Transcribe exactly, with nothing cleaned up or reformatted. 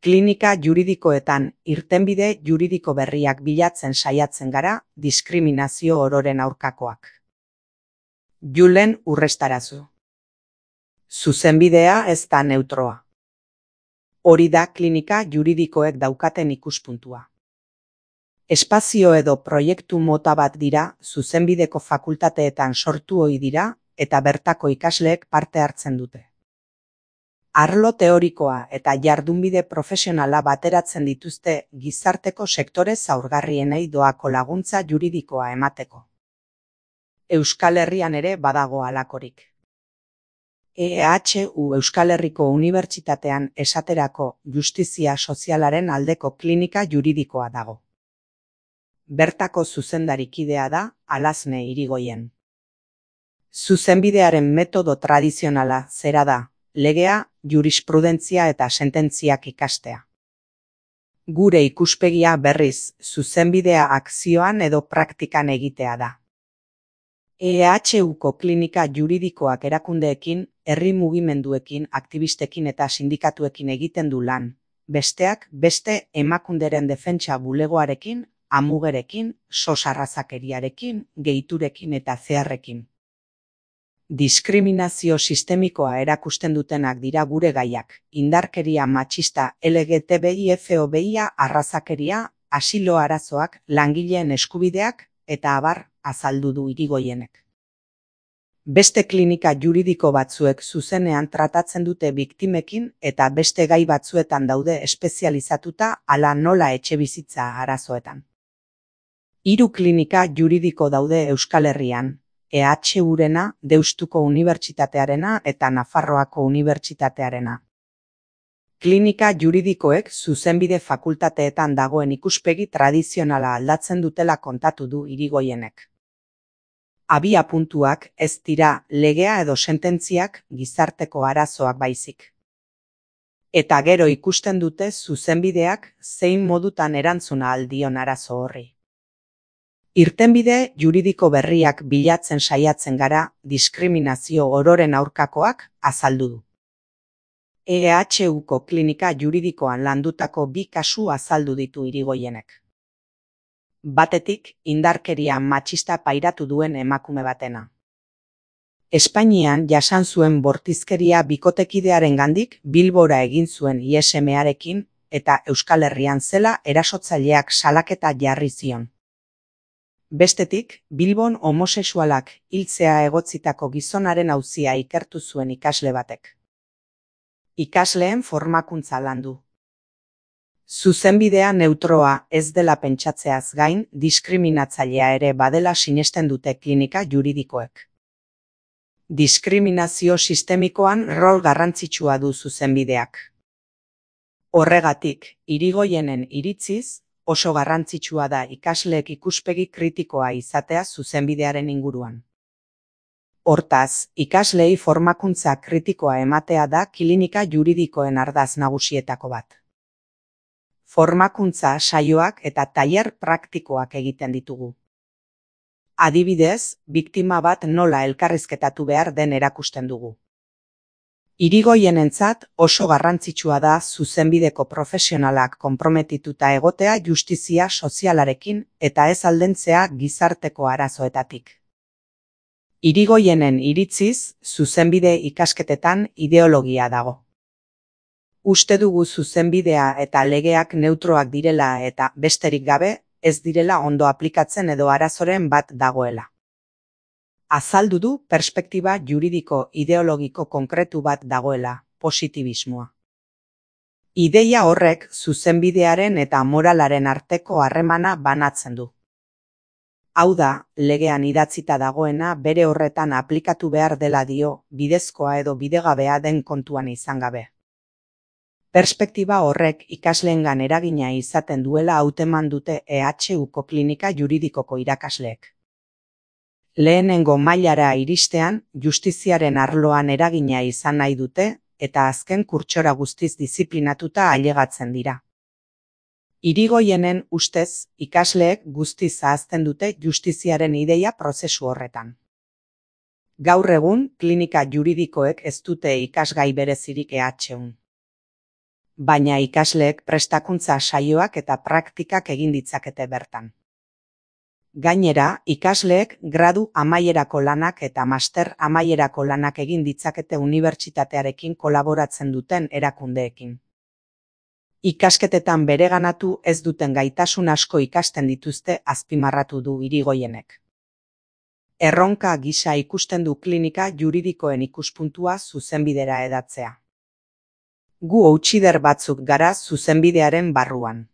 Klinika juridikoetan irtenbide juridiko berriak bilatzen saiatzen gara, diskriminazio ororen aurkakoak. Julen Urrestarazu. Zuzenbidea ez da neutroa. Hori da klinika juridikoek daukaten ikuspuntua. Espazio edo proiektu mota bat dira, zuzenbideko fakultateetan sortu ohi dira eta bertako ikasleek parte hartzen dute. Arlo teorikoa eta jardunbide profesionala bateratzen dituzte gizarteko sektore zaurgarrienei doako laguntza juridikoa emateko. Euskal Herrian ere badago halakorik. E H U Euskal Herriko Unibertsitatean esaterako justizia sozialaren aldeko klinika juridikoa dago. Bertako zuzendarikidea da Alasne Irigoien. Zuzenbidearen metodo tradizionala zera da, legea, jurisprudentzia eta sententziak ikastea. Gure ikuspegia berriz, zuzenbidea akzioan edo praktikan egitea da. E H Uko klinika juridikoak erakundeekin, herri mugimenduekin, aktibistekin eta sindikatuekin egiten du lan, besteak beste emakunderen defentsa bulegoarekin, amugerekin, sosarrazakeriarekin, gehiturekin eta zeharrekin. Diskriminazio sistemikoa erakusten dutenak dira gure gaiak, indarkeria matxista, L G T B I F O B I A, arrazakeria, asilo arazoak, langileen eskubideak eta abar azaldu du Irigoienek. Beste klinika juridiko batzuek zuzenean tratatzen dute biktimekin eta beste gai batzuetan daude espezializatuta hala nola etxebizitza arazoetan. Hiru klinika juridiko daude Euskal Herrian, E H Urena, Deustuko Unibertsitatearena eta Nafarroako Unibertsitatearena. Klinika juridikoek zuzenbide fakultateetan dagoen ikuspegi tradizionala aldatzen dutela kontatu du Irigoienek. Abia puntuak ez dira legea edo sententziak gizarteko arazoak baizik. Eta gero ikusten dute zuzenbideak zein modutan erantzuna aldion arazo horri. Irtenbide juridiko berriak bilatzen saiatzen gara, diskriminazio ororen aurkakoak azaldu du. E H Uko klinika juridikoan landutako bi kasu azaldu ditu Irigoienek. Batetik, indarkeria matxista pairatu duen emakume batena. Espainian jasan zuen bortizkeria bikotekidearengandik Bilbora egin zuen I S M-arekin eta Euskal Herrian zela erasotzaileak salaketa jarri zion. Bestetik, Bilbon homosexualak hiltzea egotzitako gizonaren auzia ikertu zuen ikasle batek. Ikasleen formakuntza landu. Zuzenbidea neutroa ez dela pentsatzeaz gain, diskriminatzailea ere badela sinesten dute klinika juridikoek. Diskriminazio sistemikoan rol garrantzitsua du zuzenbideak. Horregatik, Irigoienen iritziz, oso garrantzitsua da ikasleek ikuspegi kritikoa izatea zuzenbidearen inguruan. Hortaz, ikaslei formakuntza kritikoa ematea da klinika juridikoen ardatz nagusietako bat. Formakuntza saioak eta tailer praktikoak egiten ditugu. Adibidez, biktima bat nola elkarrizketatu behar den erakusten dugu. Irigoienentzat oso garrantzitsua da zuzenbideko profesionalak konprometituta egotea justizia sozialarekin eta ez aldentzea gizarteko arazoetatik. Irigoienen iritziz, zuzenbide ikasketetan ideologia dago. Uste dugu zuzenbidea eta legeak neutroak direla eta besterik gabe, ez direla ondo aplikatzen edo arazoren bat dagoela. Azaldu du perspektiba juridiko ideologiko konkretu bat dagoela, positibismoa. Ideia horrek zuzenbidearen eta moralaren arteko harremana banatzen du. Hau da, legean idatzita dagoena bere horretan aplikatu behar dela dio, bidezkoa edo bidegabea den kontuan izan gabe. Perspektiba horrek ikasleengan eragina izaten duela hauteman dute E H Uko klinika juridikoko irakasleek. Lehenengo mailara iristean, justiziaren arloan eragina izan nahi dute eta azken kurtsora guztiz diziplinatuta ailegatzen dira. Irigoienen ustez, ikasleek guztiz ahazten dute justiziaren ideia prozesu horretan. Gaur egun, klinika juridikoek ez dute ikasgai berezirik E H Un. baina ikasleek prestakuntza saioak eta praktikak egin ditzakete bertan. Gainera, ikasleek gradu amaierako lanak eta master amaierako lanak egin ditzakete unibertsitatearekin kolaboratzen duten erakundeekin. Ikasketetan bereganatu ez duten gaitasun asko ikasten dituzte azpimarratu du Irigoyenek. Erronka gisa ikusten du klinika juridikoen ikuspuntua zuzenbidera hedatzea. Gu outsider batzuk gara zuzenbidearen barruan.